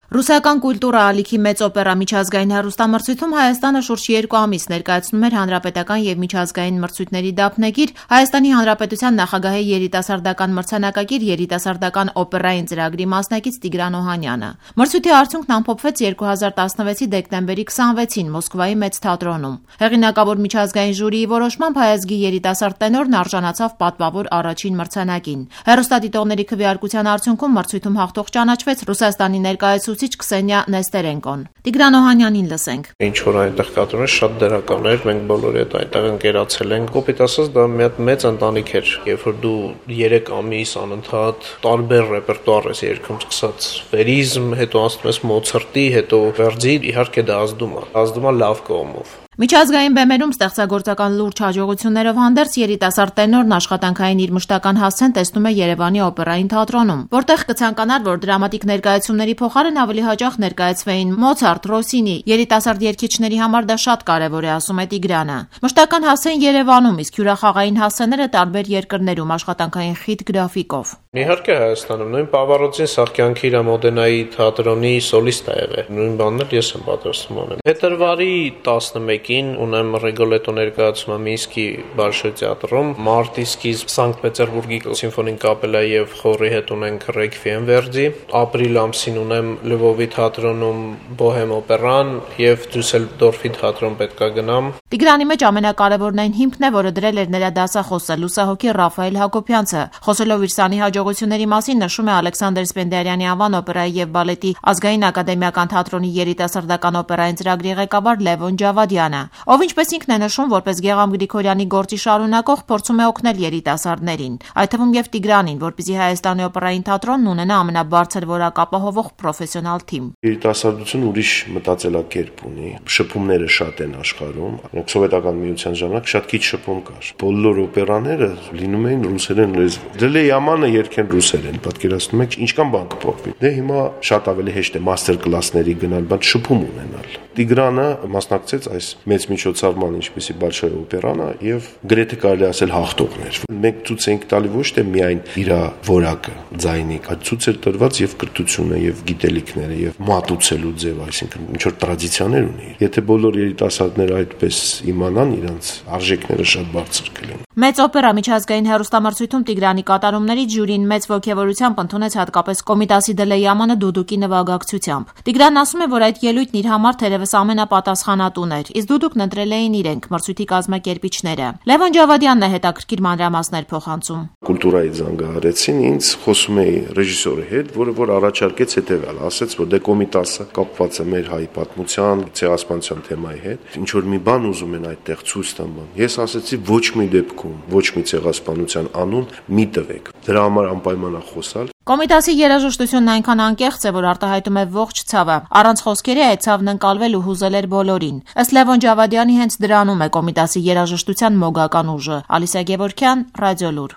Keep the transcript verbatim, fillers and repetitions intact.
Ռուսական կուլտուրա ալիքի մեծ օպերա միջազգային հեռուստամրցույթում Հայաստանը շուրջ երկու ամիս ներկայացնում էր հանրապետական եւ միջազգային մրցույթների դափնեկիր, Հայաստանի Հանրապետության նախագահի երիտասարդական մրցանակակիր երիտասարդական օպերային ծրագրի մասնակից Տիգրան Օհանյանը։ Մրցույթի արդյունքն ամփոփվեց երկու հազար տասնվեցի դեկտեմբերի քսանվեցին Մոսկվայի մեծ թատրոնում։ Հեղինակավոր միջազգային ժյուրիի որոշմամբ հայազգի երիտասարդ տենորն արժանացավ պատվավոր առաջին մրցանակին։ Հեռուստադիտողների քվեարկության արդյունքում մրցույթում հաղթող ճանաչվեց Ռուսաստանի ներկայացուցիչ Քսենիա Նեստերենկոն։ Տիգրան Օհանյանին լսենք։ Ինչ որ այնտեղ կատարում շատ դրական էր, մենք բոլորի հետ այնտեղ ընկերացել ենք։ Կոպիտ ասած դա մի հատ մեծ ընտանիք էր, երբ որ դու երեք ամիս անընդհատ տարբեր ռեպերտուար ես երգում, սկսած վերիզմ, հետո անցնում ես Մոցարտի, հետո Վերդի, իհարկե դա ազդում է, ազդում է լավ կողմով։ Միջազգային բեմերում ստեղծագործական լուրջ հաջողություններով հանդերձ երիտասարդ տենորն աշխատանքային իր մշտական հասցեն տեսնում է Երևանի օպերային թատրոնում, որտեղ կցանկանար, որ դրամատիկ ներկայացումների փոխարեն ավելի հաճախ ներկայացվեին Մոցարտ, Ռոսինի, երիտասարդ երգիչների համար դա շատ կարևոր է, ասում է Տիգրանը։ Մշտական հասցեն Երևանում, իսկ հյուրախաղային հասցեները տարբեր երկրներում աշխատանքային խիտ գրաֆիկով։ Իհարկե Հայաստանում նույն Պավարոցին Սահկյանքի Մոդենայի թատրոնի սոլիստ է եղել։ Նույն բանն էլ ես եմ պատրաստում անեմ։ Փետրվարի տասնմեկին ունեմ Ռեգոլետո ներկայացումը Մինսկի Բալշոյ թատրոնում, մարտի սկիզբ Սանկտ Պետերբուրգի սիմֆոնիկ կապելայի եւ խորի հետ ունենք Ռեքվիեմ Վերդի, ապրիլ ամսին ունեմ Լվովի թատրոնում Բոհեմ օպերան եւ Դյուսելդորֆի թատրոն պետքա գնամ։ Տիգրանի մեջ ամենակարևորն այն հիմքն է, որը դրել էր նրա դասախոսը լուսահոգի Ռաֆայել Հակոբյանցը։ Խոսելով իր սանի հաջողությունների մասին նշում է Ալեքսանդր Սպենդիարյանի անվան օպերայի եւ բալետի ազգային ակադեմիական թատրոնի երիտասարդական օպերային ծրագրի ղեկավար Լևոն Ջավադյանը, ով ինչպես ինքն է նշում, որպես Գեղամ Գրիգորյանի գործի շարունակող փորձում է օգնել երիտասարդներին, այդ թվում եւ Տիգրանին, որպեսզի Հայաստանի օպերային թատրոնն ունենա ամենաբարձր որակ ապահովող պրոֆեսիոնալ թիմ։ Երիտասարդությունը ուրիշ մտածելակերպ ունի, շփումները շատ են աշխարհում, սովետական միության ժամանակ շատ քիչ շփում կար։ Բոլոր օպերաները լինում էին ռուսերեն լեզվով։ Դե Յամանը երգեն ռուսերեն, պատկերացնում եք ինչքան բան կփոխվի։ Դե հիմա շատ ավելի հեշտ է մաստեր կլասների գնալ, բայց շփում ունենալ։ Տիգրանը մասնակցեց այս մեծ միջոցառման, ինչպեսի Բալշոյ օպերանը, եւ գրեթե կարելի ասել հաղթողներ։ Մենք ցույց ենք տալի ոչ թե միայն իր որակը, ձայնի, այլ ցույց էր տրված եւ կրթությունը, եւ գիտելիքները, եւ մատուցելու ձև, այսինքն ինչ որ տրադիցիաներ ունի։ Եթե բոլոր երիտասարդները այդպես իմանան, իրենց արժեքները շատ բարձր կլինեն։ Մեծ օպերա միջազգային հեռուստամրցույթում Տիգրանի կատարումներից ժյուրին մեծ ոգևորությամբ ընդունեց հատկապես Կոմիտասի Դելեյամանը դուդուկի նվագակցությամբ։ Տիգրանն ասում է, որ այդ ելույթն իր համար թերևս ամենապատասխանատուն էր, իսկ դուդուկն ընտրել էին իրենք, մրցույթի կազմակերպիչները։ Լևոն Ջավադյանն է հետաքրքիր մանրամասներ փոխանցում։ Կուլտուրայի զանգահարեցին ինձ, խոսում էի ռեժիսորի հետ, որը որ առաջարկեց հետևյալ, ասեց, որ դե Կոմիտասը կապված է մեր հայ պատմության, ցեղասպանության թեմայի հետ, ինչ որ մի բան ուզում են այդտեղ ցույց տան բան։ Ես ասեցի ոչ մի դեպքում, ոչ մի ցեղասպանության անուն մի տվեք։ Դրա համար անպայման է խոսալ։ Կոմիտասի երաժշտությունն այնքան անկեղծ է, որ արտահայտում է ողջ ցավը։ Առանց խոսքերի այդ ցավն ընկալվել ու հուզել էր բոլորին։ Ըստ Լևոն Ջավադյանի հենց դրանում է Կոմիտասի երաժշտության մոգական ուժը։ Ալիսա Գևորգյան, Ռադիոլուր։